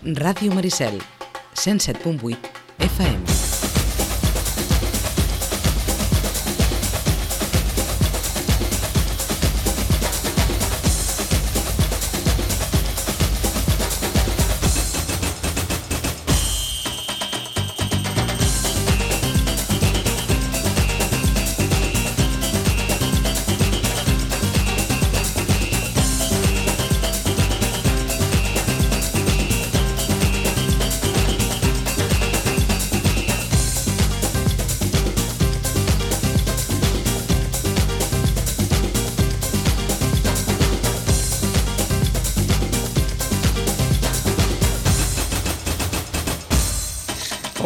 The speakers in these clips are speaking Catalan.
Ràdio Maricel, 107.8 FM.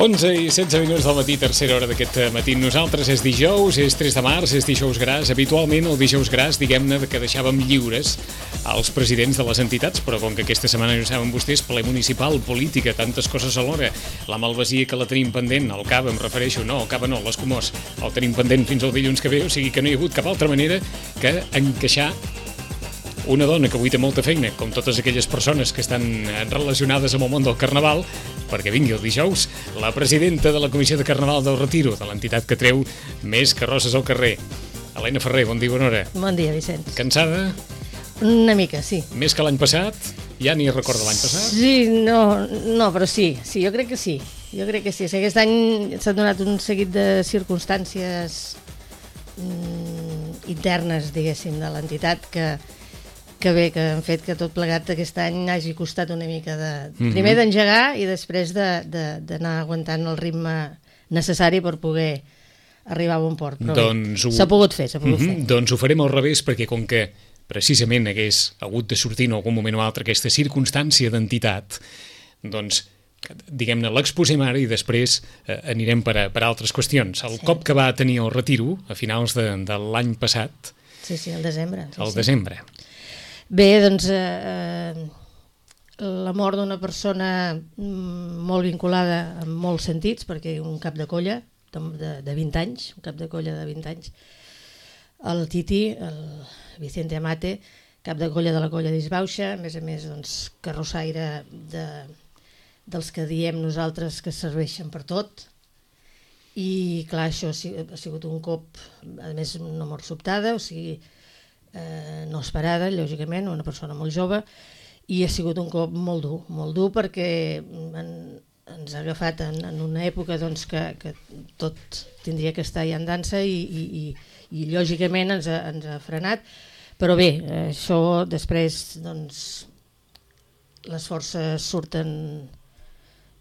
Onze i 16 minuts del matí, tercera hora d'aquest matí. Nosaltres és dijous, és 3 de març, és dijous gras. Habitualment el dijous gras, diguem-ne, que deixàvem lliures als presidents de les entitats, però com que aquesta setmana, ja saben vostès, ple municipal, política, tantes coses alhora, la malvasia que la tenim pendent, el CAB em refereixo, no, el CAB no, l'Escumós, el tenim pendent fins al dilluns que ve, o sigui que no hi ha hagut cap altra manera que encaixar una dona que avui té molta feina, com totes aquelles persones que estan relacionades amb el món del Carnaval, perquè vingui el dijous, la presidenta de la Comissió de Carnaval del Retiro, de l'entitat que treu més carrosses al carrer. Helena Ferrer, bon dia, bona hora. Bon dia, Vicenç. Cansada? Una mica, sí. Més que l'any passat? Ja ni recorda l'any passat? Sí, no, però sí, jo crec que sí. Jo crec que sí. Aquest any s'ha donat un seguit de circumstàncies internes, diguéssim, de l'entitat que han fet que tot plegat aquest any hagi costat una mica primer d'engegar i després d'anar aguantant el ritme necessari per poder arribar a bon port. Però doncs s'ha pogut fer, Doncs ho farem al revés, perquè com que precisament hagués hagut de sortir en algun moment o altre aquesta circumstància d'entitat, doncs diguem-ne, l'exposem ara i després anirem per altres qüestions. El cop que va tenir el Retiro a finals de l'any passat... Sí, al desembre. Desembre. Bé, doncs, la mort d'una persona molt vinculada en molts sentits, perquè un cap de colla de 20 anys, un cap de colla de 20 anys, el Titi, el Vicente Amate, cap de colla de la colla d'Isbauxa, a més, doncs, carrossaire dels que diem nosaltres que serveixen per tot, i clar, això ha sigut un cop, a més, una mort sobtada, o sigui, no esperada, lògicament, una persona molt jove, i ha sigut un cop molt dur perquè ens ha agafat en una època doncs, que tot tindria que estar ja en dansa i lògicament ens ha frenat, però bé, això després doncs, les forces surten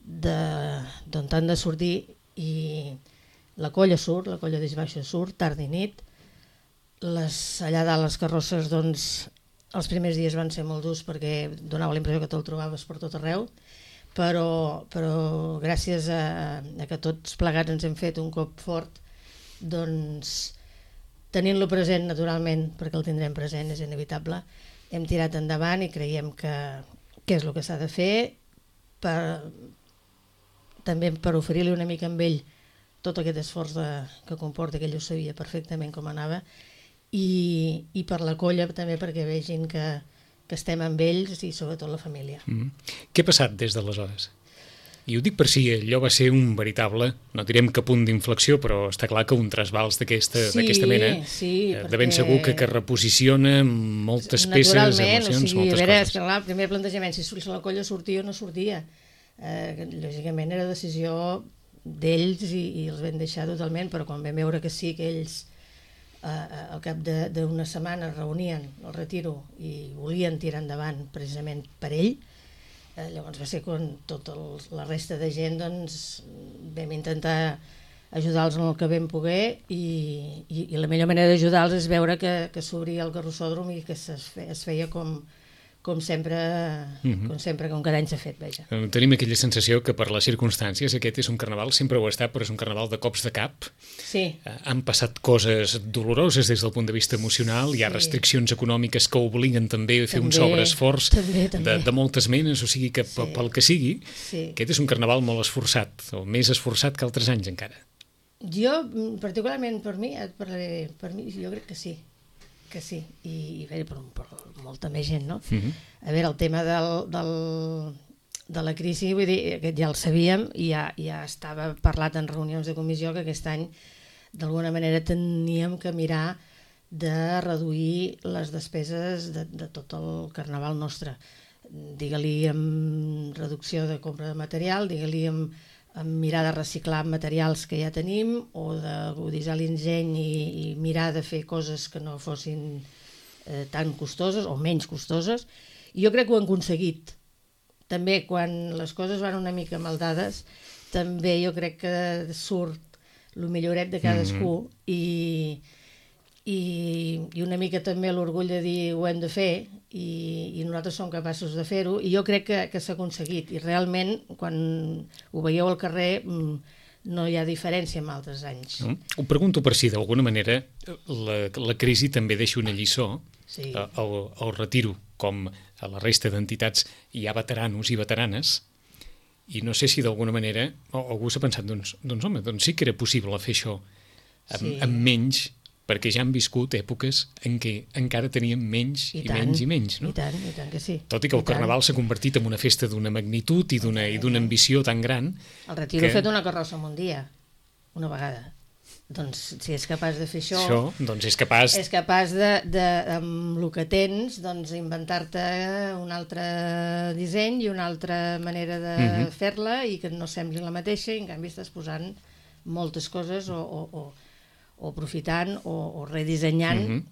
d'on han de sortir i la colla d'Isbauxa surt, tard i nit. Allà dalt les carrosses, doncs, els primers dies van ser molt durs perquè donava la impressió que te'l trobaves per tot arreu, però gràcies a que tots plegats ens hem fet un cop fort, doncs, tenint-lo present naturalment, perquè el tindrem present, és inevitable, hem tirat endavant i creiem que és el que s'ha de fer, també per oferir-li una mica amb ell tot aquest esforç que comporta, que ell ho sabia perfectament com anava, i per la colla també perquè vegin que estem amb ells i sobretot la família. Què ha passat des d'aleshores? I ho dic per si allò va ser un veritable, no direm que punt d'inflexió, però està clar que un trasbals d'aquesta mena, de ben segur que reposiciona moltes peces, emocions, moltes coses. Clar, el primer plantejament, si la colla sortia o no sortia, lògicament era decisió d'ells i els vam deixar totalment, però quan vam veure que sí, que ells al cap d'una setmana es reunien al Retiro i volien tirar endavant precisament per ell, llavors va ser quan tota la resta de gent doncs, vam intentar ajudar-los en el que vam poder i la millor manera d'ajudar-los és veure que s'obria el carrossòdrom i que es feia com sempre, com cada any s'ha fet, veja. Tenim aquella sensació que per les circumstàncies aquest és un carnaval, sempre ho ha estat, però és un carnaval de cops de cap. Sí. Han passat coses doloroses des del punt de vista emocional, hi ha restriccions econòmiques que obliguen també a fer un sobreesforç de moltes menes, o sigui que pel que sigui, aquest és un carnaval molt esforçat, o més esforçat que altres anys encara. Jo, particularment per mi, jo crec que sí. Que sí, i per molta més gent, no? A veure, el tema de la crisi, vull dir, aquest ja el sabíem i ja estava parlat en reunions de comissió que aquest any d'alguna manera teníem que mirar de reduir les despeses de tot el carnaval nostre. Digue-li amb reducció de compra de material, digue-li amb mirar de reciclar materials que ja tenim o d'aguditzar l'enginy i mirar de fer coses que no fossin tan costoses o menys costoses. I jo crec que ho hem aconseguit. També quan les coses van una mica maldades, també jo crec que surt el milloret de cadascú i una mica també l'orgull de dir ho hem de fer i nosaltres som capaços de fer-ho i jo crec que s'ha aconseguit i realment quan ho veieu al carrer no hi ha diferència amb altres anys. Ho pregunto per si d'alguna manera la crisi també deixa una lliçó. Sí. El retiro, com a la resta d'entitats hi ha veteranos i veteranes i no sé si d'alguna manera algú s'ha pensat, doncs home, doncs sí que era possible fer això amb menys, perquè ja han viscut èpoques en què encara teníem menys i menys, no? I tant que sí. Tot i que el carnaval s'ha convertit en una festa d'una magnitud i d'una ambició tan gran. El retiro he fet una carrossa en un dia, una vegada. Doncs si és capaç de fer això doncs és capaç amb el que tens, doncs inventar-te un altre disseny i una altra manera de fer-la i que no sembli la mateixa i en canvi estàs posant moltes coses o aprofitant o redissenyant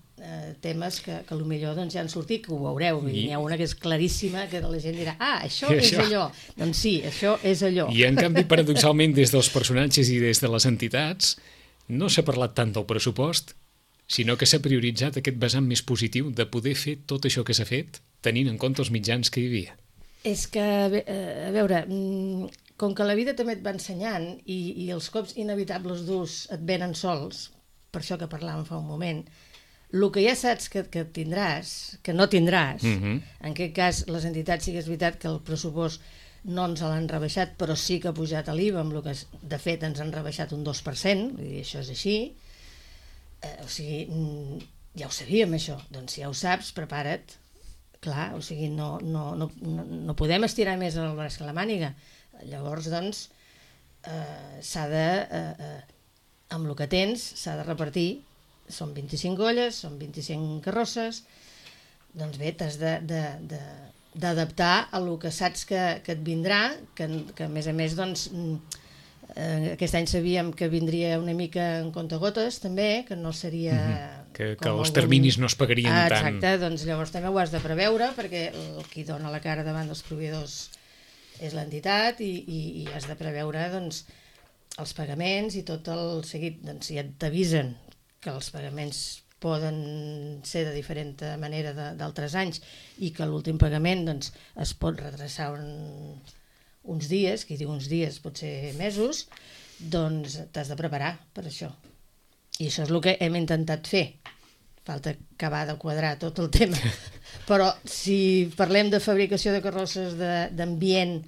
temes que potser doncs, ja han sortit, que ho veureu. N'hi ha una que és claríssima, que la gent dirà això és allò. Doncs sí, això és allò. I en canvi, paradoxalment, des dels personatges i des de les entitats no s'ha parlat tant del pressupost, sinó que s'ha prioritzat aquest vessant més positiu de poder fer tot això que s'ha fet tenint en compte els mitjans que hi havia. És que, a veure, com que la vida també et va ensenyant i els cops inevitables durs et venen sols, per això que parlàvem fa un moment, el que ja saps que tindràs, que no tindràs, en aquest cas les entitats sí que és veritat que el pressupost no ens l'han rebaixat, però sí que ha pujat l'IVA, amb el que de fet ens han rebaixat un 2%, vull dir, això és així. O sigui, ja ho sabíem això, doncs si ja ho saps, prepara't. Clar, o sigui, no podem estirar més el braç que la màniga. Llavors, doncs, s'ha de, amb el que tens, s'ha de repartir. Són 25 olles, són 25 carrosses, doncs bé, t'has d'adaptar a el que saps que et vindrà, que a més, doncs, aquest any sabíem que vindria una mica en comptagotes, també, que no seria... Que els terminis no es pagarien tant. Exacte, doncs llavors també ho has de preveure, perquè el qui dona la cara davant dels proveïdors és l'entitat i has de preveure, doncs, els pagaments i tot el seguit. Doncs si et t'avisen que els pagaments poden ser de diferent manera d'altres anys i que l'últim pagament doncs, es pot retrasar uns dies, qui diu uns dies pot ser mesos, doncs t'has de preparar per això. I això és el que hem intentat fer. Falta acabar de quadrar tot el tema. Però si parlem de fabricació de carrosses, d'ambient,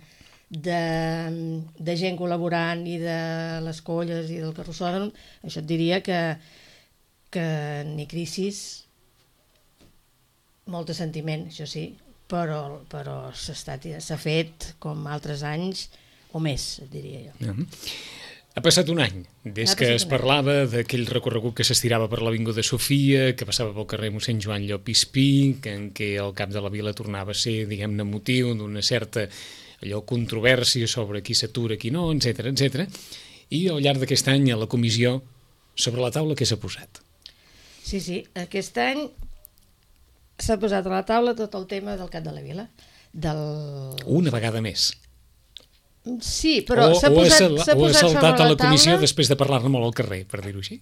de gent col·laborant i de les colles i del carrossòdrom, això et diria que ni crisis, molt de sentiment, això sí, però s'ha fet com altres anys o més, et diria jo. Ha passat un any des que es parlava d'aquell recorregut que s'estirava per l'Avinguda Sofia, que passava pel carrer mossèn Joan Llop i Espí, en què el cap de la vila tornava a ser, diguem-ne, motiu d'una certa controvèrsia sobre qui s'atura, qui no, etc. I al llarg d'aquest any a la comissió, sobre la taula, què s'ha posat? Sí, aquest any s'ha posat a la taula tot el tema del cap de la vila. Una vegada més. Sí, però s'ha posat saltat a la comissió després de parlar-ne molt al carrer, per dir-ho així?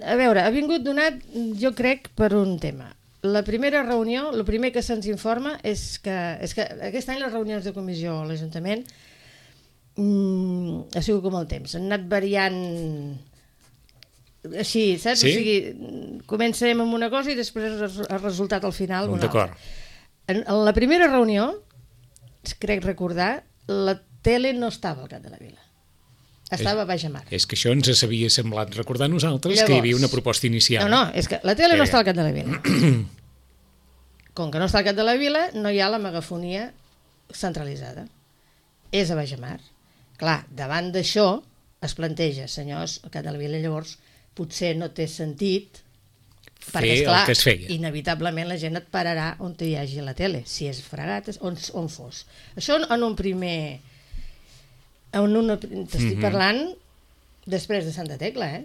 A veure, ha vingut donat, jo crec, per un tema. La primera reunió, el primer que se'ns informa és que aquest any les reunions de comissió a l'Ajuntament ha sigut com el temps, han anat variant així, saps? Sí? O sigui, comencem amb una cosa i després el resultat al final una altra. En la primera reunió, crec recordar, la tele no estava al cap de la vila. Estava a baix a mar. És que això ens havia semblat recordar a nosaltres. Llavors, que hi havia una proposta inicial. No, és que la tele no està al cap de la vila. Com que no està al cap de la vila, no hi ha la megafonia centralitzada. És a Baix Mar. Clar, davant d'això es planteja, senyors, al Cap de la Vila llavors potser no té sentit perquè, esclar, el que es feia. inevitablement la gent et pararà on hi hagi la tele, si és fregat, on fos. Això en un primer... T'estic parlant després de Santa Tecla,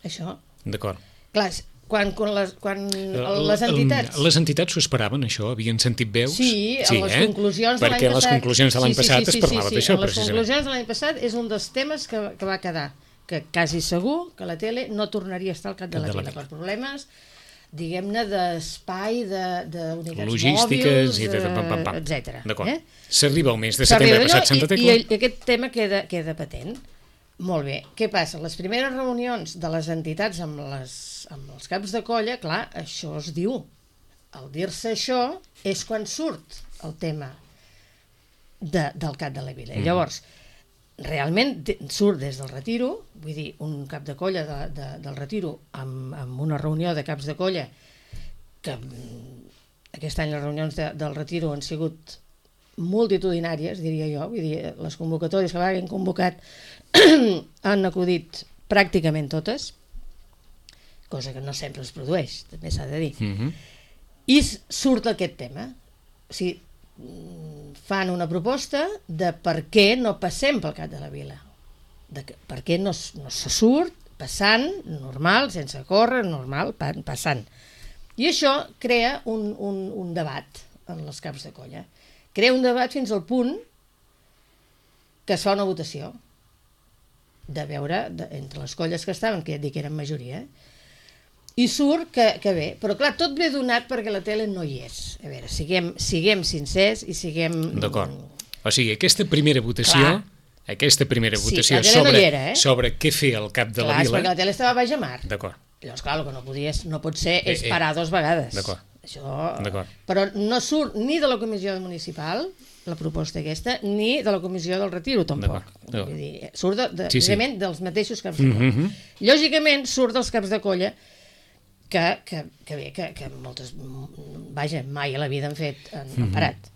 Això. D'acord. Clar, quan les entitats... Les entitats s'ho esperaven, això? Havien sentit veus? Sí, en les conclusions de l'any passat... Perquè a les conclusions de l'any passat es parlava d'això, precisament. Les conclusions de l'any passat és un dels temes que va quedar, que quasi segur que la tele no tornaria a estar al Cap de la Vila per problemes, diguem-ne, d'espai, d'unitats logístiques mòbils, etc. D'acord. S'arriba al mes de setembre passat Santa Tecla. I aquest tema queda patent. Molt bé. Què passa? Les primeres reunions de les entitats amb els caps de colla, clar, això es diu. Al dir-se això és quan surt el tema del Cap de la Vila. Llavors, realment surt des del Retiro, vull dir, un cap de colla del Retiro amb una reunió de caps de colla que aquest any les reunions del Retiro han sigut multitudinàries, diria jo, vull dir, les convocatòries que l'hagin convocat han acudit pràcticament totes, cosa que no sempre es produeix, també s'ha de dir. I surt aquest tema. O sigui, fan una proposta de per què no passem pel Cap de la Vila. Per què no se surt passant, normal, sense córrer, normal, passant. I això crea un debat en els caps de colla. Crea un debat fins al punt que es fa una votació de veure entre les colles que estaven, que ja et dic que eren majoria, i surt que bé, però clar, tot ve donat perquè la tele no hi és. A veure, siguem sincers i siguem... D'acord. O sigui, aquesta primera votació sobre què fer al Cap de la Vila... Clar, perquè la tele estava a Baix Mar. D'acord. Llavors, clar, el que no pot ser és parar 2 vegades. D'acord. Això... Però no surt ni de la comissió municipal, la proposta aquesta, ni de la comissió del Retiro, tampoc. Vull dir, surt precisament dels mateixos caps de colla. Lògicament, surt dels caps de colla que moltes, vaja, mai a la vida han parat.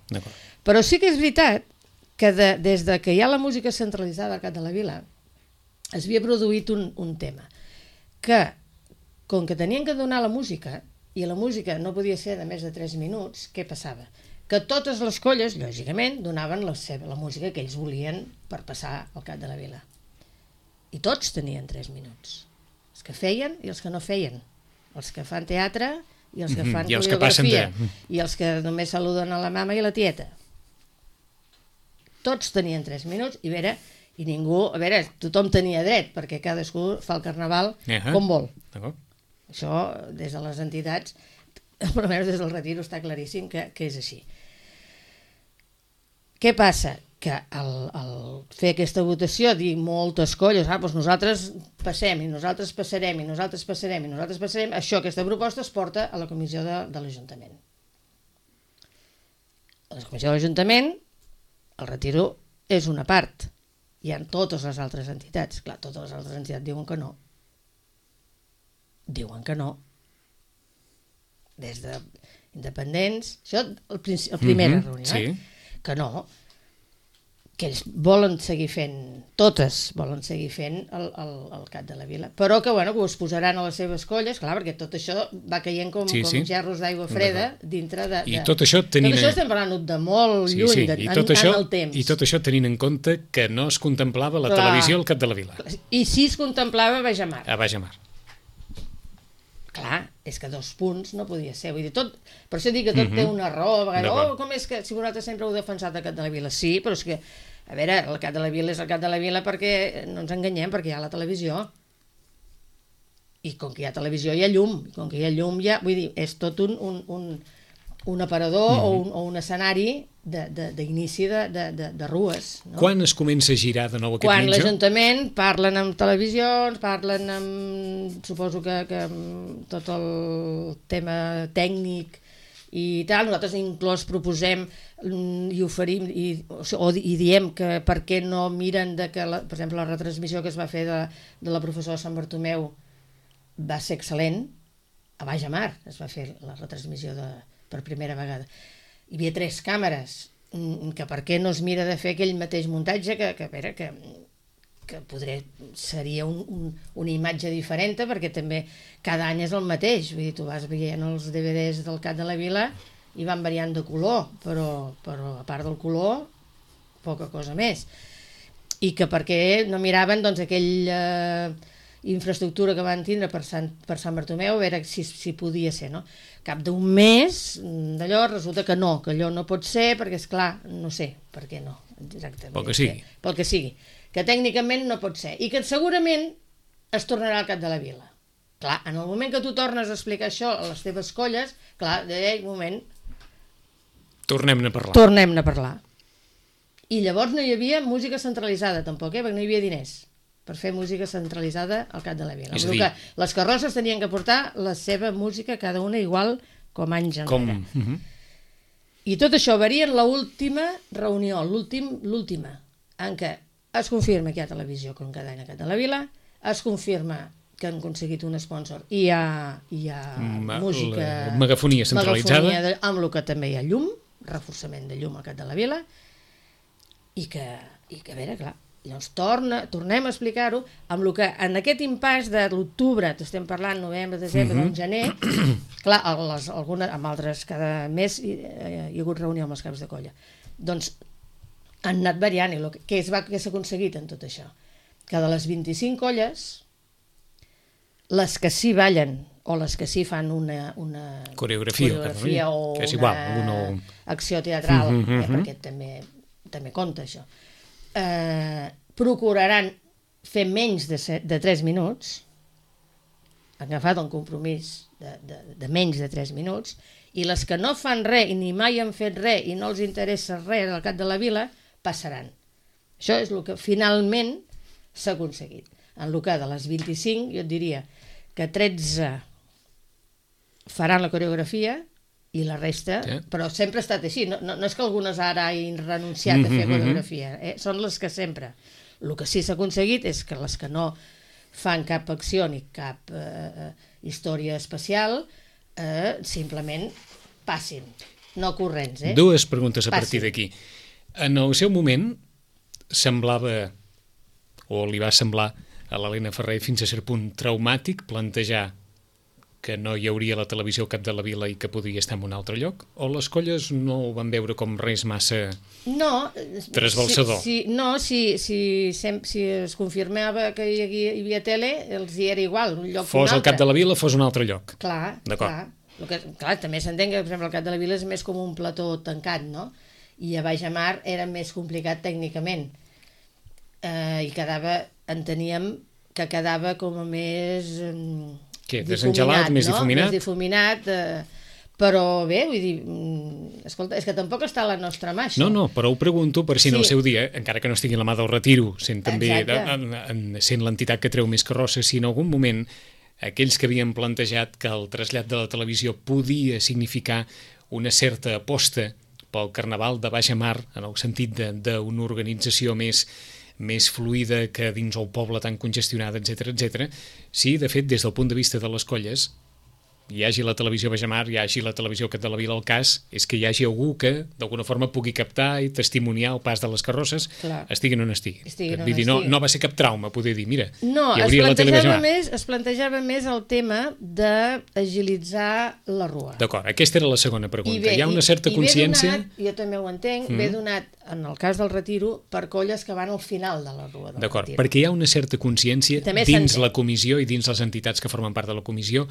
Però sí que és veritat que des que hi ha la música centralitzada al Cap de la Vila es havia produït un tema que, com que tenien que donar la música i la música no podia ser de més de 3 minuts, què passava? Que totes les colles, lògicament, donaven la música que ells volien per passar al Cap de la Vila. I tots tenien 3 minuts. Els que feien i els que no feien. Els que fan teatre i els que fan coreografia. I els que només saluden a la mama i la tieta. Tots tenien 3 minuts i ningú... A veure, tothom tenia dret, perquè cadascú fa el carnaval com vol. Això, des de les entitats, almenys des del Retiro, està claríssim que és així. Què passa? Que al fer aquesta votació, dir moltes colles, doncs nosaltres passem, i nosaltres passarem, i nosaltres passarem, i nosaltres passarem, aquesta proposta es porta a la comissió de l'Ajuntament. A la comissió de l'Ajuntament, el Retiro és una part. Hi ha totes les altres entitats. Clar, totes les altres entitats diuen que no. Diuen que no. Des d'independents, això la primera reunió, que no, que ells volen seguir fent, totes volen seguir fent el Cap de la Vila, però que ho es posaran a les seves colles, clar, perquè tot això va caient com gerros d'aigua freda dintre de... I tot això tenint... Tot això estem parlant de molt lluny en el temps. I tot això tenint en compte que no es contemplava la televisió al Cap de la Vila. I sí es contemplava a Baix Mar. A Baix Mar. Clar, és que 2 punts no podia ser. Vull dir, per això dic que tot té una raó. Com és que si vosaltres sempre heu defensat el Cap de la Vila? Sí, però és que, a veure, el Cap de la Vila és el Cap de la Vila perquè no ens enganyem, perquè hi ha la televisió. I com que hi ha televisió hi ha llum. I com que hi ha llum vull dir, és tot un aparador o un escenari d'inici de rues. No? Quan es comença a girar de nou aquest Quan mitjà? l'Ajuntament parlen amb televisions, parlen amb, suposo que tot el tema tècnic i tal, nosaltres inclús proposem i oferim i diem que per què no miren que, per exemple, la retransmissió que es va fer de la professora Sant Bartomeu va ser excel·lent. A Baix Mar es va fer la retransmissió per primera vegada. Hi havia 3 càmeres que per què no es mira de fer aquell mateix muntatge que seria una imatge diferent, perquè també cada any és el mateix, vull dir, tu vas veient els DVDs del Cap de la Vila i van variant de color, però a part del color poca cosa més. I que per què no miraven doncs aquella infraestructura que van tindre per Sant Bartomeu, a veure si podia ser, no? Cap d'un mes d'allò resulta que no, que allò no pot ser, perquè és clar, no sé per què no, exactament. Pel que sigui. Que tècnicament no pot ser. I que segurament es tornarà al Cap de la Vila. Clar, en el moment que tu tornes a explicar això a les teves colles, clar, d'ell moment... Tornem-ne a parlar. I llavors no hi havia música centralitzada, tampoc, perquè no hi havia diners per fer música centralitzada al Cap de la Vila. Però que les carrosses tenien que portar la seva música, cada una igual com anys enrere. I tot això varia en l'última reunió, l'última, en què es confirma que hi ha televisió com cada any al Cap de la Vila, es confirma que han aconseguit un sponsor i hi ha música... Megafonia centralitzada. Amb el que també hi ha llum, reforçament de llum al Cap de la Vila, i que a veure, clar, llavors tornem a explicar-ho amb el que en aquest impàs de l'octubre, estem parlant novembre, desembre, doncs gener, clar, amb altres cada mes hi ha hagut reunió amb els caps de colla, doncs han anat variant, i què s'ha aconseguit en tot això? Que de les 25 colles, les que sí ballen o les que sí fan una coreografia o una acció teatral, perquè també compta això, procuraran fer menys de 3 minuts, han agafat un compromís de menys de 3 minuts, i les que no fan res i ni mai han fet res i no els interessa res del Cap de la Vila, passaran. Això és el que finalment s'ha aconseguit. En el cas de les 25, jo et diria que 13 faran la coreografia i la resta, però sempre ha estat així, no és que algunes ara hagin renunciat a fer coreografia, són les que sempre. El que sí s'ha aconseguit és que les que no fan cap acció ni cap història especial simplement passin, no corrents. Dues preguntes a partir d'aquí. En el seu moment semblava, o li va semblar a l'Helena Ferrer fins a cert punt traumàtic plantejar que no hi hauria la televisió al Cap de la Vila i que podria estar en un altre lloc? O les colles no ho van veure com res massa trasbalsador? Si es confirmava que hi havia tele, els hi era igual, un lloc fos al Cap de la Vila, fos un altre lloc. Clar, també s'entén que, per exemple, el Cap de la Vila és més com un plató tancat, no? I a Baix Amar era més complicat tècnicament. I enteníem que quedava com a més... desengelat, més difuminat? Més difuminat, però bé, vull dir, escolta, és que tampoc està a la nostra mà, això. No, però ho pregunto per si en el seu dia, encara que no estigui a la mà del Retiro, sent també sent l'entitat que treu més carrosses, si en algun moment aquells que havien plantejat que el trasllat de la televisió podia significar una certa aposta pel Carnaval de Baix Amar, en el sentit d'una organització més fluida que dins el poble tan congestionada, etc. Sí, de fet, des del punt de vista de les colles, hi hagi la televisió Baix Amar, hi hagi la televisió Cap de la Vila, el cas és que hi hagi algú que d'alguna forma pugui captar i testimoniar el pas de les carrosses, estiguin on estiguin. Vull dir, no va ser cap trauma poder dir, mira, hi hauria la tele Baix Amar. Es plantejava més el tema d'agilitzar la rua. D'acord, aquesta era la segona pregunta. Hi ha una certa consciència... Jo també ho entenc, ve donat, en el cas del Retiro, per colles que van al final de la rua del Retiro. D'acord, perquè hi ha una certa consciència dins la comissió i dins les entitats que formen part de la comissió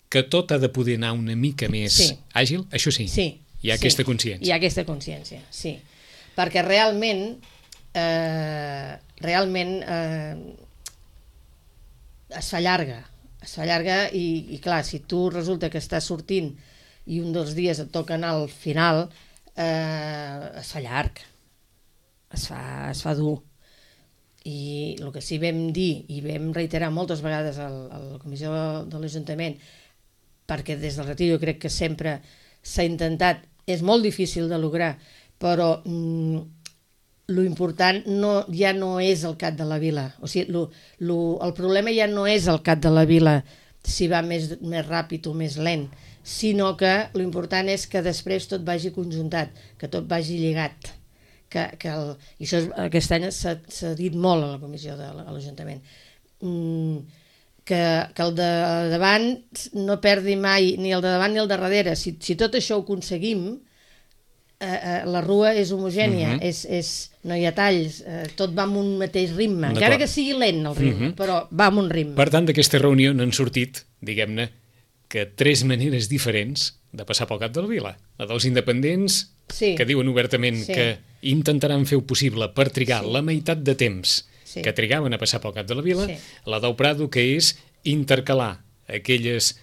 que tot ha de poder anar una mica més àgil, això sí. Hi ha aquesta consciència. Hi ha aquesta consciència, sí. Perquè realment es fa llarga i clar, si tu resulta que estàs sortint i un dels dies et toca anar al final, es fa llarg, es fa dur. I el que sí vam dir i vam reiterar moltes vegades a la comissió de l'Ajuntament, perquè des del Retiro jo crec que sempre s'ha intentat, és molt difícil de lograr, però lo important ja no és el Cap de la Vila, o sigui, el problema ja no és el Cap de la Vila si va més ràpid o més lent, sinó que l'important és que després tot vagi conjuntat, que tot vagi lligat. I això aquest any s'ha dit molt a la comissió de l'Ajuntament. Que el de davant no perdi mai ni el de davant ni el de darrere. Si tot això ho aconseguim, la rua és homogènia, no hi ha talls, tot va amb un mateix ritme, encara que sigui lent el ritme, però va amb un ritme. Per tant, d'aquesta reunió n'han sortit, diguem-ne, que 3 maneres diferents de passar pel cap de la vila. La dels independents, que diuen obertament que intentaran fer ho possible per trigar la meitat de temps que trigaven a passar pel cap de la vila, la del Prado, que és intercalar aquelles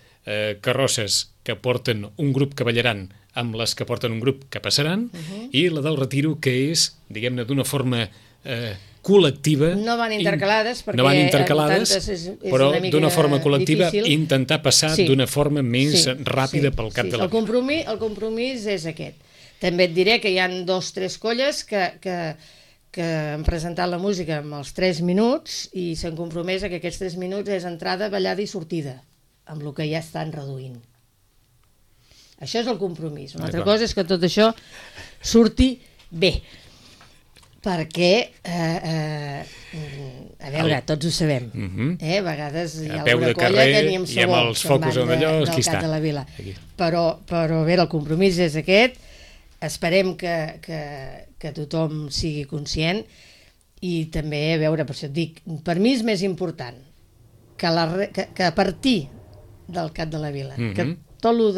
carrosses que porten un grup que ballaran amb les que porten un grup que passaran, i la del Retiro, que és, diguem-ne, d'una forma col·lectiva. No van intercalades, perquè no van intercalades, però d'una forma col·lectiva intentar passar d'una forma més ràpida pel cap de la vila. El compromís és aquest. També et diré que hi ha 2 o 3 colles que han presentat la música amb els 3 minuts i s'han compromès que aquests 3 minuts és entrada, ballada i sortida, amb el que ja estan reduint. Això és el compromís. Una altra cosa és que tot això surti bé, perquè, a veure, tots ho sabem, a vegades hi ha alguna colla que ni amb sabó se'n van del cap de la vila. Però, a veure, el compromís és aquest, esperem que tothom sigui conscient, i també, a veure, per això et dic, per mi és més important que a partir del cap de la vila, que tot el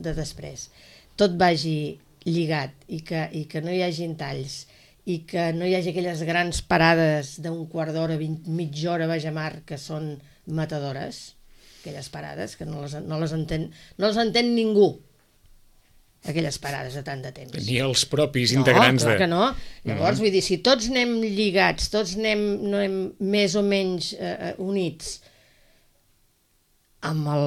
de després, tot vagi lligat i que no hi hagi talls i que no hi hagi aquelles grans parades d'un quart d'hora, mitja hora, vaja mar, que són matadores, aquelles parades que no les entén ningú, aquelles parades de tant de temps. Ni els propis integrants clar que no. Llavors, vull dir, si tots anem lligats, tots anem més o menys units amb el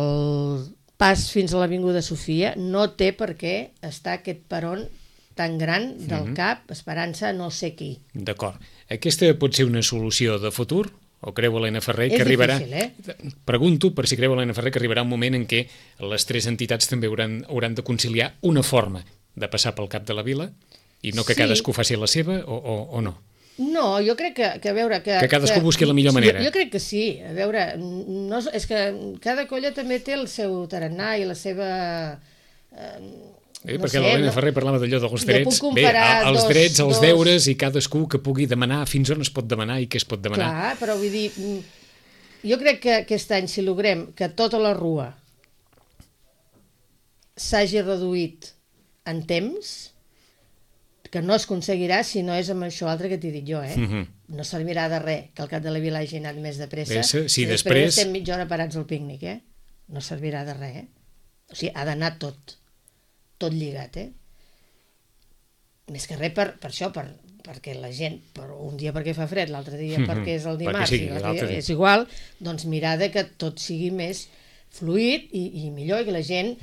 pas fins a l'Avinguda Sofia, no té per què estar aquest peron tan gran del cap esperant-se no sé qui. D'acord. Aquesta pot ser una solució de futur? O creu Helena Ferrer que arribarà... És difícil, Pregunto per si creu Helena Ferrer que arribarà un moment en què les 3 entitats també hauran de conciliar una forma de passar pel cap de la vila i no que cadascú faci la seva o no? No, jo crec que a veure... Que cadascú busqui la millor manera. Jo crec que sí. A veure, és que cada colla també té el seu tarannà i la seva... perquè l'Helena Ferrer parlava d'allò dels drets. Bé, els drets, els deures i cadascú que pugui demanar fins on es pot demanar i què es pot demanar. Clar, però vull dir... Jo crec que aquest any, si logrem que tota la rua s'hagi reduït en temps, que no es aconseguirà si no és amb això altre que t'he dit jo, No servirà de res que el cap de la vila hagi anat més de pressa. Si després estem mitja hora parats al pícnic, No servirà de res, O sigui, ha d'anar tot lligat, Més que res per això, perquè la gent, un dia perquè fa fred, l'altre dia perquè és el dimarts, és igual, doncs mirar que tot sigui més fluid i millor, i que la gent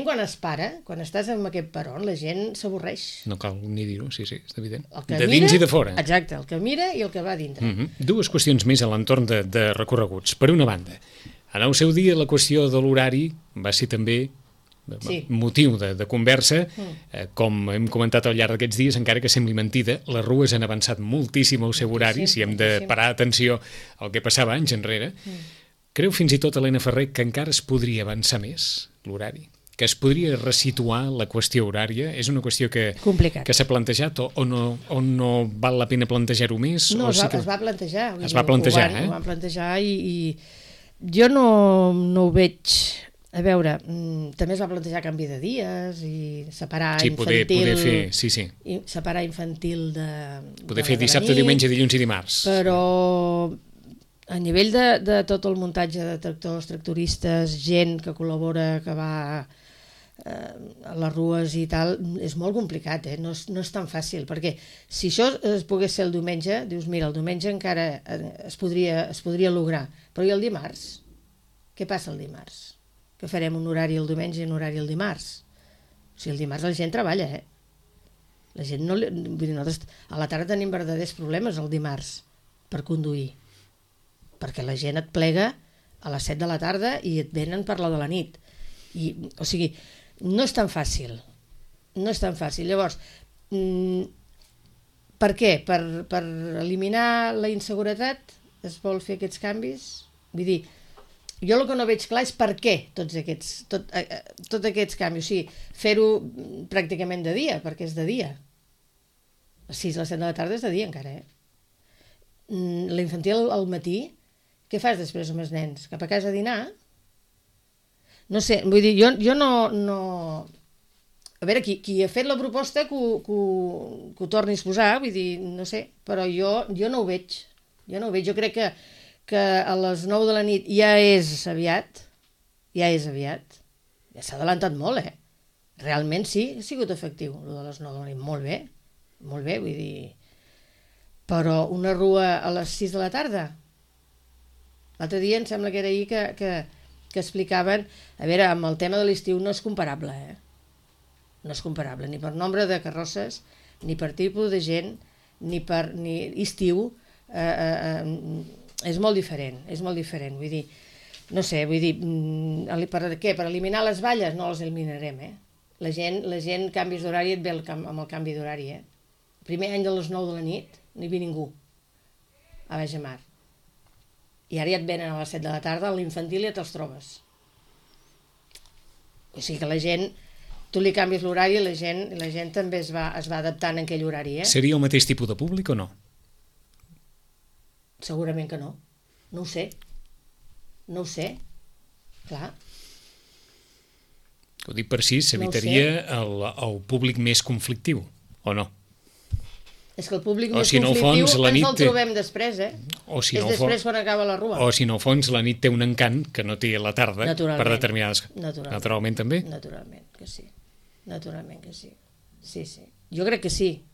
quan es para, quan estàs en aquest peron, la gent s'avorreix. No cal ni dir-ho, sí, és evident. De dins i de fora. Exacte, el que mira i el que va dintre. 2 qüestions més a l'entorn de recorreguts. Per una banda, en el seu dia la qüestió de l'horari va ser també motiu de conversa, com hem comentat al llarg d'aquests dies, encara que sembli mentida, les rues han avançat moltíssim el seu horari, si hem de parar atenció al que passava anys enrere. Creu fins i tot Helena Ferrer que encara es podria avançar més l'horari? Que es podria resituar la qüestió horària? És una qüestió que s'ha plantejat o no val la pena plantejar-ho més? No, es va plantejar. Es va plantejar, Ho van plantejar i jo no ho veig... A veure, també es va plantejar canvi de dies i separar infantil... Poder fer, sí. Separar infantil de... Poder fer dissabte, diumenge, dilluns i dimarts. Però... A nivell de tot el muntatge de tractors, tractoristes, gent que col·labora, que va a les rues i tal, és molt complicat, no és tan fàcil, perquè si això es pogués ser el diumenge, dius, mira, el diumenge encara es podria lograr, però i el dimarts? Què passa el dimarts? Que farem un horari el diumenge i un horari el dimarts? O sigui, el dimarts la gent treballa, La gent no... Vull dir, nosaltres a la tarda tenim verdaders problemes el dimarts per conduir, perquè la gent et plega a les 7 de la tarda i et venen per la de la nit. O sigui, no és tan fàcil. No és tan fàcil. Llavors, per què? Per eliminar la inseguretat es vol fer aquests canvis? Vull dir, jo el que no veig clar és per què tots aquests canvis. O sigui, fer-ho pràcticament de dia, perquè és de dia. A les 6 a les 7 de la tarda és de dia encara, La infantil al matí, què fas després amb els nens? Cap a casa a dinar? No sé, vull dir, jo no... A veure, qui ha fet la proposta que ho torni a exposar, vull dir, no sé, però jo no ho veig. Jo crec que a les 9 de la nit ja és aviat. Ja s'ha adelantat molt, Realment sí, ha sigut efectiu, el de les 9 de la nit, molt bé, vull dir... Però una rua a les 6 de la tarda? L'altre dia em sembla que era ahir que explicaven... A veure, amb el tema de l'estiu no és comparable, No és comparable, ni per nombre de carrosses, ni per tipus de gent, ni estiu. És molt diferent, vull dir... No sé, vull dir... Per què? Per eliminar les valles? No les eliminarem, La gent canvis d'horari et ve amb el canvi d'horari, El primer any de les 9 de la nit no hi havia ningú a Baix de Mar. I ara ja et venen a les 7 de la tarda, a l'infantil ja te'ls trobes. O sigui que la gent, tu li canvies l'horari i la gent també es va adaptant en aquell horari. Seria el mateix tipus de públic o no? Segurament que no. No ho sé. Clar. Ho dic per si s'evitaria el públic més conflictiu, o no? És que el públic més conflictiu ens el trobem després, És després quan acaba la rua. O si no, al fons, la nit té un encant que no té la tarda per determinades... Naturalment també? Naturalment que sí. Sí. Jo crec que sí.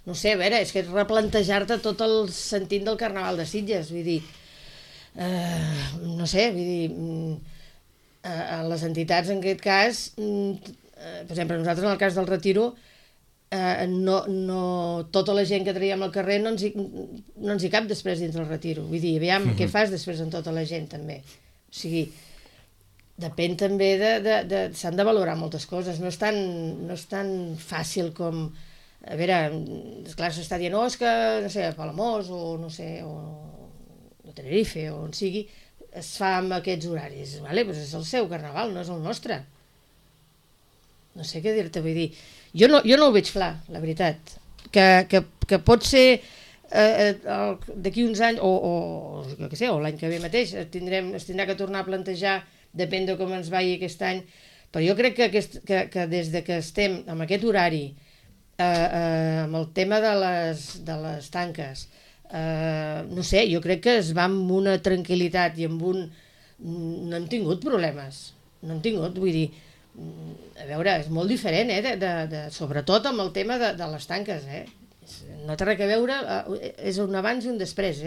No sé, a veure, és que és replantejar-te tot el sentit del Carnaval de Sitges, vull dir... No sé, vull dir... les entitats, en aquest cas, per exemple, nosaltres en el cas del Retiro, tota la gent que traiem al carrer no ens hi cap després dins del Retiro. Vull dir, aviam, què fas després amb tota la gent, també? O sigui, depèn també s'han de valorar moltes coses, no és tan fàcil com... A veure, esclar, s'està dient, és que, no sé, a Palamós, o no sé, o a Tenerife, o on sigui, es fa amb aquests horaris. Vale? Pues és el seu Carnaval, no és el nostre. No sé què dir-te, vull dir... Jo no ho veig clar, la veritat. Que pot ser d'aquí uns anys, o què sé, o l'any que ve mateix, es tindrà que tornar a plantejar, depèn de com ens vagi aquest any, però jo crec que des de que estem amb aquest horari, amb el tema de les tanques, no sé, jo crec que es va amb una tranquil·litat i amb un... No hem tingut problemes, vull dir... A veure, és molt diferent, sobretot amb el tema de les tanques, No té res a veure, és un abans i un després,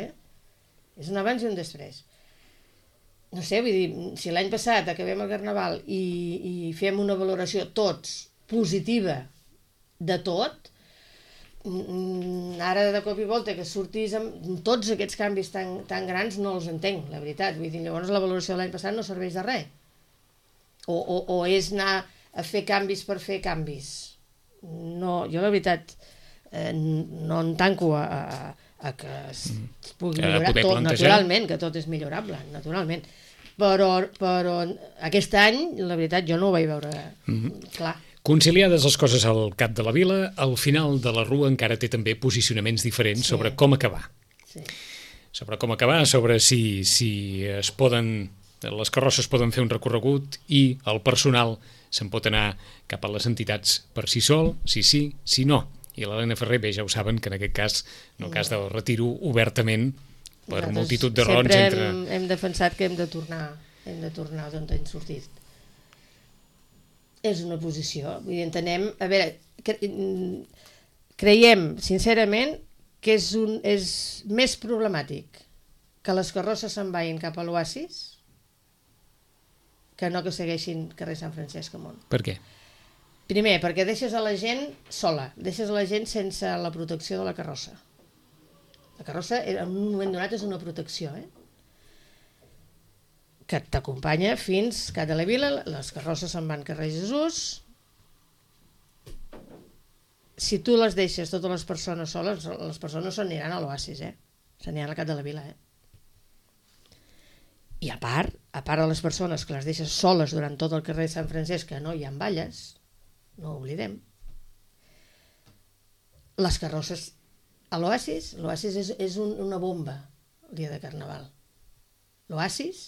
És un abans i un després. No sé, vull dir, si l'any passat acabem el Carnaval i fem una valoració tots positiva de tot, ara de cop i volta que sortis amb tots aquests canvis tan grans no els entenc, la veritat. Vull dir, llavors la valoració de l'any passat no serveix de res. O és anar a fer canvis per fer canvis. No, jo la veritat no em tanco a que es pugui millorar tot, naturalment, que tot és millorable, naturalment. Però aquest any, la veritat, jo no ho vaig veure clar. Conciliades les coses al cap de la vila, al final de la rua encara té també posicionaments diferents sobre com acabar. Sobre com acabar, sobre si es poden... Les carrosses poden fer un recorregut i el personal se'n pot anar cap a les entitats per si sol, si sí, si no. I l'Helena Ferrer, bé, ja ho saben, que en aquest cas, en el cas del Retiro, obertament, per multitud de raons... Sempre hem defensat que hem de tornar d'on hem sortit. És una posició, vull dir, entenem... A veure, creiem, sincerament, que és més problemàtic que les carrosses se'n vagin cap a l'Oasis que no que segueixin carrer Sant Francesc amunt. Per què? Primer, perquè deixes a la gent sola, deixes a la gent sense la protecció de la carrossa. La carrossa, en un moment donat, és una protecció, que t'acompanya fins Cat de la Vila, les carrosses se'n van carrer Jesús. Si tu les deixes totes les persones soles, les persones se n'aniran a l'Oasis, se n'aniran al Cat de la Vila, I a part de les persones que les deixes soles durant tot el carrer de Sant Francesc, que no hi ha balles, no ho oblidem, les carrosses a l'Oasis és una bomba el dia de Carnaval. L'Oasis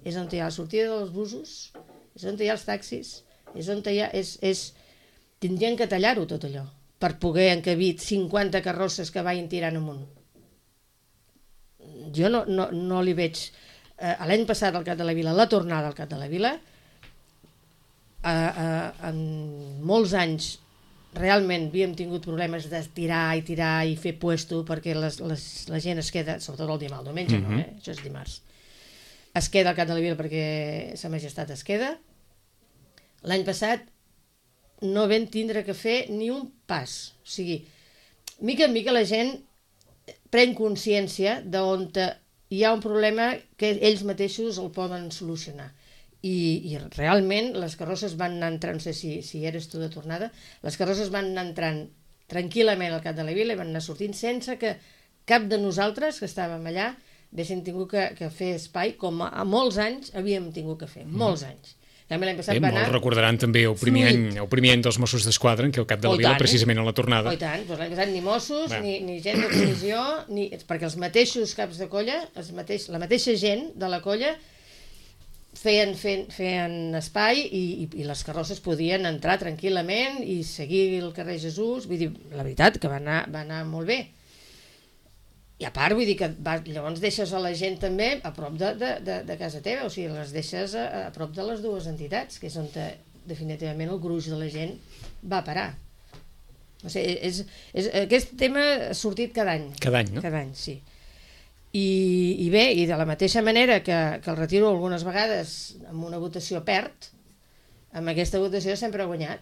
és on hi ha la sortida dels busos, és on hi ha els taxis, és on hi ha... Tindrien que tallar-ho tot allò per poder encabir 50 carrosses que vagin tirant amunt. Jo no li veig... L'any passat al Cat de la Vila, la tornada al Cat de la Vila, en molts anys realment havíem tingut problemes de tirar i fer puesto perquè la gent es queda, sobretot el diumenge no, això és dimarts, es queda al Cat de la Vila perquè Sa Majestat es queda. L'any passat no vam tindre que fer ni un pas, o sigui, mica en mica la gent pren consciència d'on hi ha un problema que ells mateixos el poden solucionar. I realment les carrosses van anar entrant, no sé si eres tu de tornada, les carrosses van anar entrant tranquil·lament al Cat de la Vila i van anar sortint sense que cap de nosaltres que estàvem allà haguéssim tingut que fer espai com a molts anys havíem tingut que fer, molts anys. L'any passat va anar... Molts recordaran també el primer any dels Mossos d'Esquadra, en què el Cap de la Vila, precisament a la tornada... I tant, l'any passat ni Mossos, ni gent de comissió, perquè els mateixos caps de colla, la mateixa gent de la colla feien espai i les carrosses podien entrar tranquil·lament i seguir el carrer Jesús. Vull dir, la veritat que va anar molt bé. I a part, vull dir que llavors deixes a la gent també a prop de casa teva, o sigui, les deixes a prop de les dues entitats, que és on definitivament el gruix de la gent va parar. O sigui, aquest tema ha sortit cada any. Cada any, no? Cada any, sí. I bé, i de la mateixa manera que el Retiro algunes vegades amb una votació perd, amb aquesta votació sempre ha guanyat.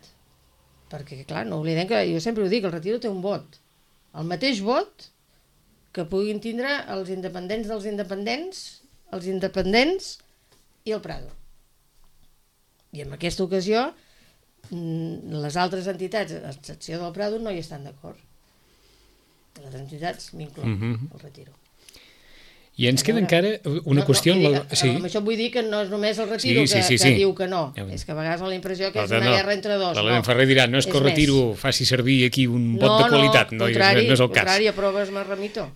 Perquè, clar, no oblidem que jo sempre ho dic, el Retiro té un vot. El mateix vot que puguin tindre els independents dels independents, els independents i el Prado. I en aquesta ocasió les altres entitats, a excepció del Prado, no hi estan d'acord. Les entitats m'inclouen, el Retiro. I ens queda encara una qüestió... Amb això vull dir que no és només el Retiro que diu que no. És que a vegades la impressió que és una guerra entre dos. L'Helena Ferrer dirà, no és que el Retiro faci servir aquí un vot de qualitat. No, no és el cas. Contrari, aproves más remito.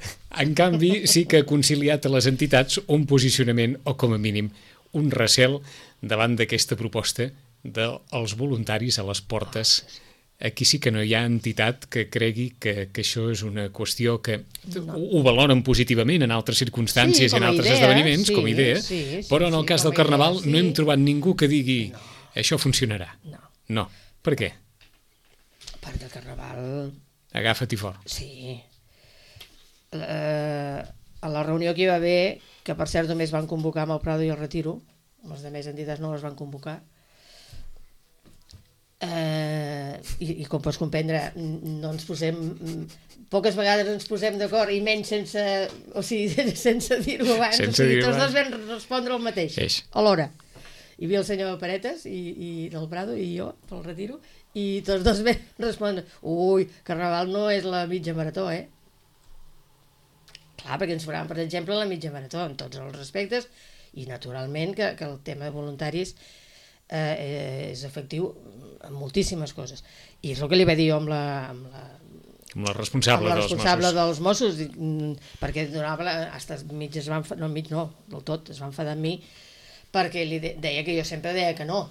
En canvi, sí que ha conciliat a les entitats un posicionament, o com a mínim, un recel davant d'aquesta proposta dels voluntaris a les portes. Aquí sí que no hi ha entitat que cregui que això és una qüestió que ho valoren positivament en altres circumstàncies i en altres esdeveniments, com a idea, però en el cas del Carnaval no hem trobat ningú que digui això funcionarà. No. Per què? Perquè el Carnaval... Agafa-t'hi fort. Sí. A la reunió que hi va haver, que per cert només van convocar amb el Prado i el Retiro, les altres entitats no les van convocar, i com pots comprendre no ens posem, poques vegades ens posem d'acord i menys sense dir-ho abans, tots dos vam respondre el mateix alhora. Hi havia el senyor Paretes i del Prado i jo pel Retiro i tots dos vam respondre Carnaval no és la mitja marató, clar, perquè ens faran per exemple la mitja marató en tots els respectes i naturalment que el tema de voluntaris és efectiu en moltíssimes coses. I és el que li va dir jo amb la responsable dels Mossos, perquè mig es va enfadar, no, del tot, es va enfadar amb mi, perquè li deia que jo sempre deia que no.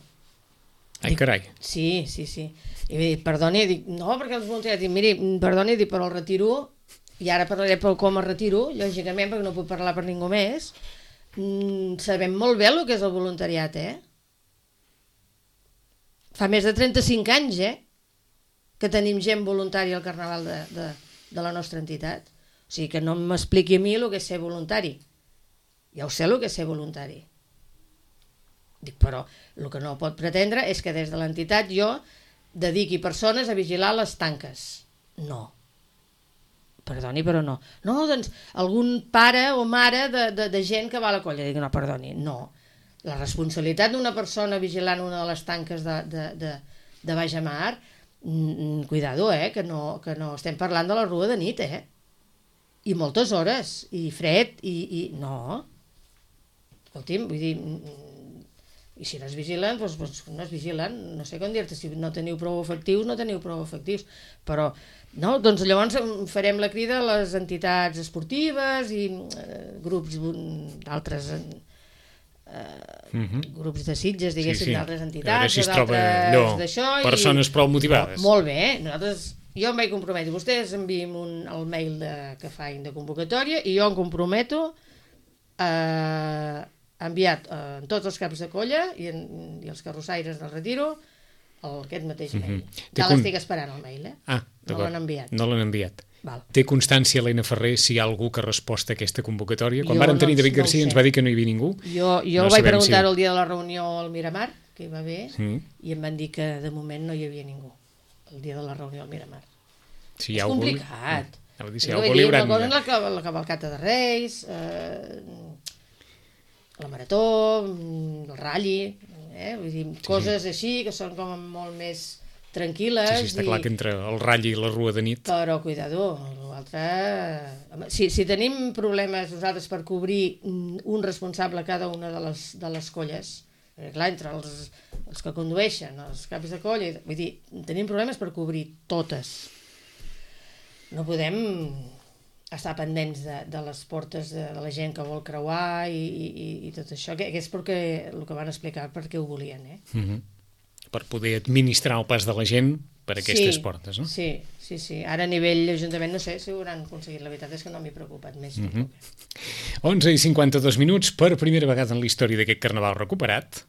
Ai, carai. Sí. I va dir, perdoni, dic, no, perquè els voluntaris, dic, miri, perdoni, dic, però el Retiro, i ara parlaré pel com el Retiro, lògicament, perquè no puc parlar per ningú més, sabem molt bé el que és el voluntariat, Fa més de 35 anys, que tenim gent voluntària al Carnaval de la nostra entitat. O sigui, que no m'expliqui a mi el que és ser voluntari. Ja ho sé el que és ser voluntari. Dic, però el que no pot pretendre és que des de l'entitat jo dediqui persones a vigilar les tanques. No. Perdoni, però no. No, doncs algun pare o mare de gent que va a la colla. Dic, no, perdoni, no. la responsabilitat d'una persona vigilant una de les tanques de Baix Mar, cuidado, que no estem parlant de la rua de nit, i moltes hores, i fred, i no. Escolti'm, vull dir, i si no es vigilen, doncs no es vigilen, no sé com dir-te, si no teniu prou efectius, no teniu prou efectius, però no, doncs llavors farem la crida a les entitats esportives i grups d'altres grups de Sitges, diguéssim, d'altres entitats, a veure si es troba allò, persones prou motivades. Molt bé, jo em vaig comprometre, vostès enviem el mail que faig de convocatòria i jo em comprometo a enviat en tots els caps de colla i els carrossaires del Retiro aquest mateix mail. Ja l'estic esperant el mail, no l'han enviat. No l'han enviat. Val. Té constància l'Helena Ferrer si hi ha algú que ha respost a aquesta convocatòria? Quan varen tenir David Garcia ens va dir que no hi havia ningú. Jo vaig preguntar-ho el dia de la reunió al Miramar, que hi va haver, i em van dir que de moment no hi havia ningú el dia de la reunió al Miramar. És complicat. La cavalcata de Reis, la marató, el ratlli, vull dir, coses així que són com molt més tranquil·les. Sí, està clar que entre el ratlli i la rua de nit... Però, cuidado, l'altre... Si tenim problemes nosaltres per cobrir un responsable a cada una de les colles, perquè clar, entre els que condueixen, els caps de colla, vull dir, tenim problemes per cobrir totes. No podem estar pendents de les portes de la gent que vol creuar i tot això, que és perquè el que van explicar perquè ho volien, per poder administrar el pas de la gent per aquestes portes, no? Sí. Ara a nivell Ajuntament no sé si ho hauran aconseguit, la veritat és que no m'he preocupat més. 11:52 minuts, per primera vegada en la història d'aquest carnaval recuperat,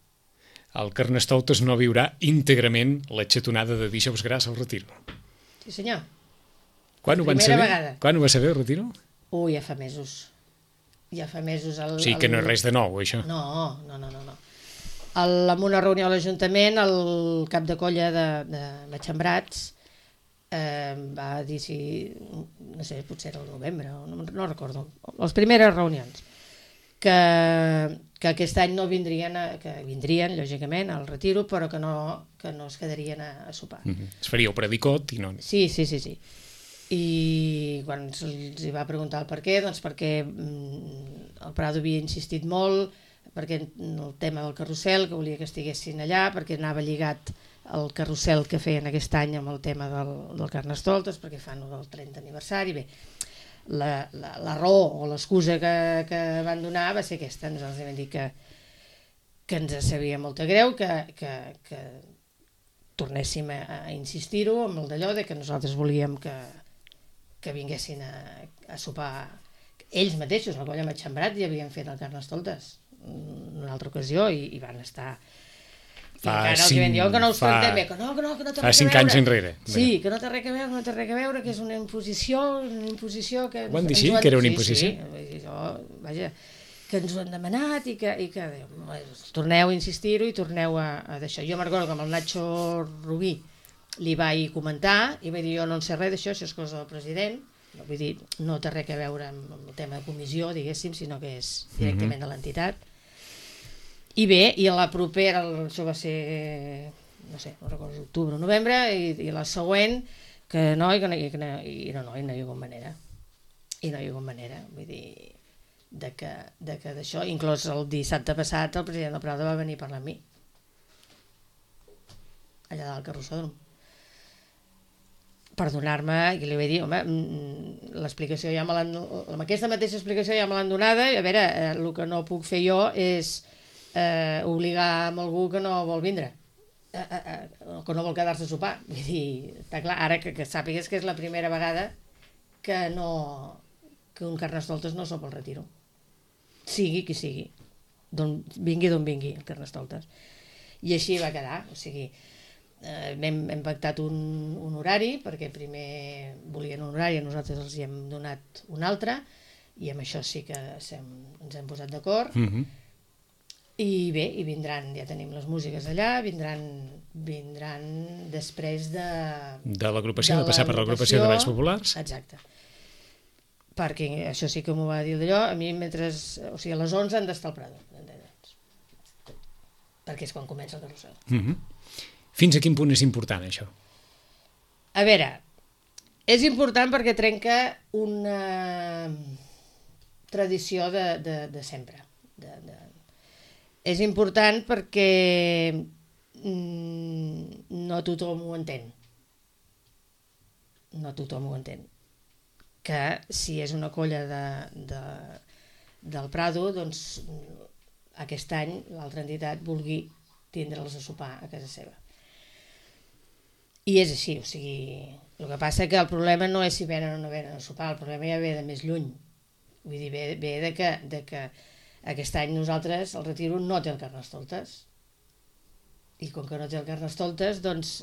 el Carnestoltes no viurà íntegrament la xatonada de Dijous Gras al Retiro. Sí, senyor. Quan ho van saber? Quan ho va saber el Retiro? Ja fa mesos. O sigui que no és res de nou, això. No. En una reunió a l'Ajuntament, el cap de colla de Matxembrats va dir si, no sé, potser era el novembre, no recordo, les primeres reunions, que aquest any no vindrien, que vindrien, lògicament, al Retiro, però que no es quedarien a sopar. Es faria el predicot i no... Sí. I quan els va preguntar el per què, doncs perquè el Prado havia insistit molt, perquè el tema del carrusel, que volia que estiguessin allà, perquè anava lligat el carrusel que feien aquest any amb el tema del Carnestoltes, perquè fan el 30 aniversari. Bé, la raó o l'excusa que van donar va ser aquesta. Ens els van dir que ens sabia molt greu, que tornéssim a insistir-ho amb el d'allò, que nosaltres volíem que vinguessin a sopar ells mateixos, la colla Matxembrat, ja havien fet el Carnestoltes en una altra ocasió i van estar... Fa 5 anys enrere. Sí, que no té res a veure, que és una imposició que... Ho van dir així, que era una imposició? Sí, vaja, que ens ho han demanat i que torneu a insistir-ho i torneu a d'això. Jo me'n recordo que amb el Nacho Rubí li vaig comentar i vaig dir, jo no en sé res d'això, això és cosa del president, vull dir, no té res a veure amb el tema de comissió, diguéssim, sinó que és directament de l'entitat. I bé, i a la propera, això va ser, no sé, no recordo, octubre o novembre, i la següent, que no hi ha hagut manera. I no hi ha hagut manera, vull dir, de que d'això, inclús el dissabte passat el president del Prado va venir a parlar amb mi, allà dalt al carrossòdrom, per donar-me, i li vaig dir, home, l'explicació ja me l'han... Amb aquesta mateixa explicació ja me l'han donada, i a veure, el que no puc fer jo és obligar a algú que no vol vindre, que no vol quedar-se a sopar. Vull dir, està clar, ara que sàpigues que és la primera vegada que un Carnestoltes no sopa al Retiro. Sigui qui sigui, vingui d'on vingui el Carnestoltes. I així va quedar, o sigui, hem pactat un horari, perquè primer volien un horari i nosaltres els hi hem donat un altre, i amb això sí que ens hem posat d'acord. I bé, i vindran, ja tenim les músiques allà, vindran després de l'agrupació, de passar per l'agrupació de Balls Populars. Exacte. Perquè això sí que m'ho va dir d'allò, a mi mentre... O sigui, a les 11 han d'estar al Prado. perquè és quan comença el carrusel. Fins a quin punt és important, això? A veure, és important perquè trenca una tradició de sempre. És important perquè no tothom ho entén. No tothom ho entén. Que si és una colla del Prado, doncs aquest any l'altra entitat vulgui tindre'ls a sopar a casa seva. I és així, o sigui, el que passa que el problema no és si venen o no venen a sopar, el problema ja ve de més lluny. Vull dir, ve de que aquest any nosaltres, el Retiro, no té el Carnestoltes. I com que no té el Carnestoltes, doncs,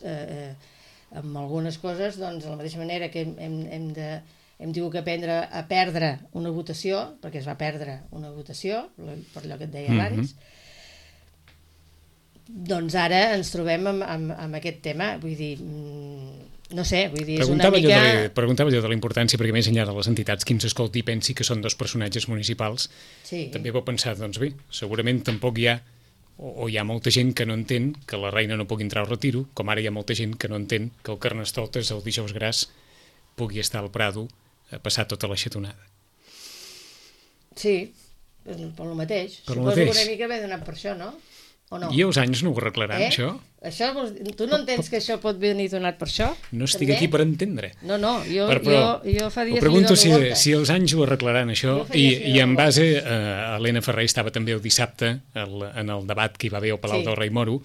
amb algunes coses, doncs, de la mateixa manera que hem tingut que aprendre a perdre una votació, perquè es va perdre una votació, per allò que et deia abans, doncs ara ens trobem amb aquest tema, vull dir, no sé, vull dir, és una mica... Preguntava jo de la importància, perquè més enllà de les entitats, qui ens escolti i pensi que són dos personatges municipals, també pot pensar, doncs bé, segurament tampoc hi ha, o hi ha molta gent que no entén que la reina no pugui entrar al Retiro, com ara hi ha molta gent que no entén que el Carnestoltes, el dijous gras, pugui estar al Prado a passar tota la xatonada. Sí, per el mateix. Suposo que una mica ve donat per això, no? O no? I els anys no ho arreglaran, això? Tu no entens que això pot venir donat per això? No estic aquí per entendre. No, jo fa dies... Pregunto si els anys ho arreglaran, això, i en base, Helena Ferrer estava també el dissabte en el debat que hi va haver al Palau del Rei Moro,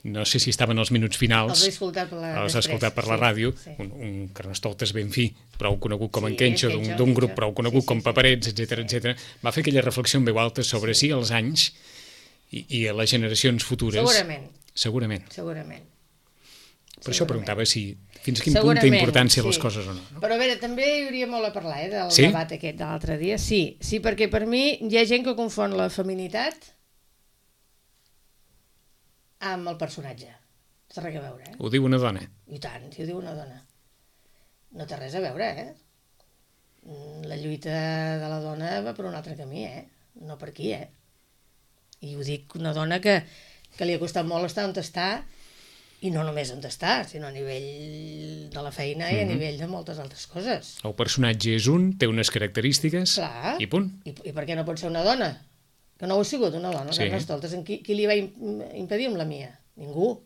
no sé si estaven els minuts finals, els he escoltat per la ràdio, un Carnestoltes ben fi, prou conegut com en Kenxo, d'un grup prou conegut com Paperets, etc. Va fer aquella reflexió en veu alta sobre si els anys i a les generacions futures... Segurament. Per això preguntava si fins a quin punt té importància les coses o no. Però a veure, també hi hauria molt a parlar del debat aquest de l'altre dia. Sí, perquè per mi hi ha gent que confon la feminitat amb el personatge. No té res a veure, Ho diu una dona? I tant, si ho diu una dona. No té res a veure, La lluita de la dona va per un altre camí, No per aquí, I ho dic una dona que li ha costat molt estar on està, i no només on està, sinó a nivell de la feina i a nivell de moltes altres coses. El personatge és té unes característiques, i punt. I per què no pot ser una dona? Que no ho ha sigut una dona, Carnestoltes. Qui li va impedir amb la Mia? Ningú.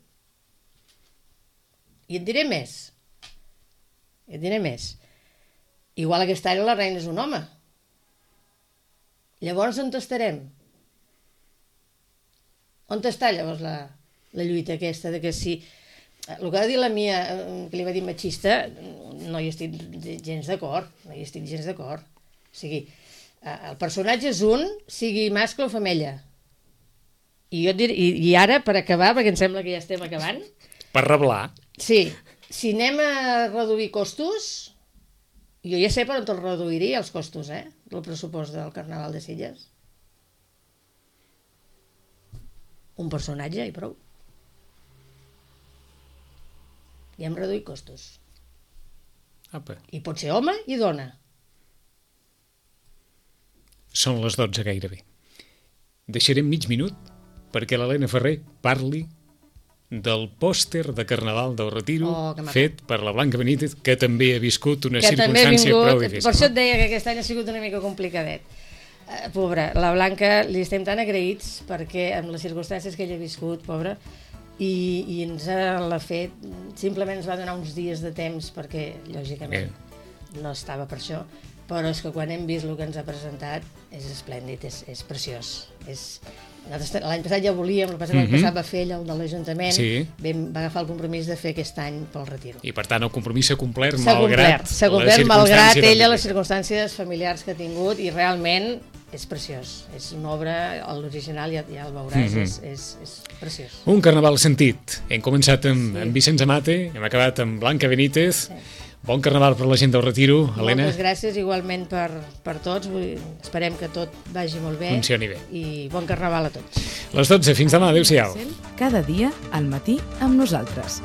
I et diré més. Igual aquest any la reina és un home. Llavors on estarem? On està llavors la lluita aquesta de que si... El que va dir la Mia, que li va dir machista, no hi estic gens d'acord. O sigui, el personatge és sigui mascle o femella. I jo et diré, i ara, per acabar, perquè em sembla que ja estem acabant... Per reblar. Sí, si anem a reduir costos, jo ja sé per on els reduiria, els costos, del pressupost del Carnaval de Sitges. Un personatge i prou. I hem reduït costos. Apa. I pot ser home i dona. Són les 12 gairebé. Deixarem mig minut perquè l'Helena Ferrer parli del pòster de Carnaval del Retiro fet per la Blanca Benítez, que també ha viscut una circumstància prou difícil. Per això et deia que aquest any ha sigut una mica complicadet. Pobra, la Blanca, li estem tan agraïts perquè amb les circumstàncies que ella ha viscut, pobra, i ens l'ha fet, simplement ens va donar uns dies de temps perquè, lògicament, no estava per això, però és que quan hem vist el que ens ha presentat és esplèndid, és preciós. L'any passat ja volíem, l'any passat va fer el de l'Ajuntament, va agafar el compromís de fer aquest any pel Retiro. I per tant el compromís s'ha complert malgrat ella les circumstàncies familiars que ha tingut, i realment és preciós, és una obra, l'original ja el veuràs, és preciós. Un carnaval sentit. Hem començat amb Vicenç Amate, hem acabat amb Blanca Benítez. Bon carnaval per la gent del Retiro, Helena. Moltes gràcies igualment per tots, esperem que tot vagi molt bé. Funcioni bé. I bon carnaval a tots. Les 12, fins demà, adéu-siau. Cada dia al matí amb nosaltres.